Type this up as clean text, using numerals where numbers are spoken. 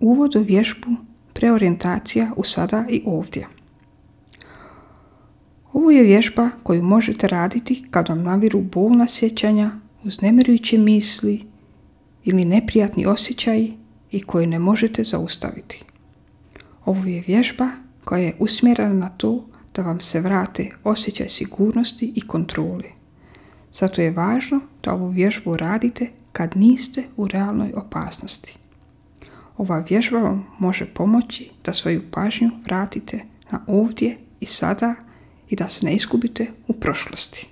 Uvod u vježbu preorijentacija u sada i ovdje. Ovo je vježba koju možete raditi kad vam naviru bolna sjećanja, uznemirujuće misli ili neprijatni osjećaji i koje ne možete zaustaviti. Ovo je vježba koja je usmjerena na to da vam se vrate osjećaj sigurnosti i kontrole. Zato je važno da ovu vježbu radite kad niste u realnoj opasnosti. Ova vježba vam može pomoći da svoju pažnju vratite na ovdje i sada i da se ne izgubite u prošlosti.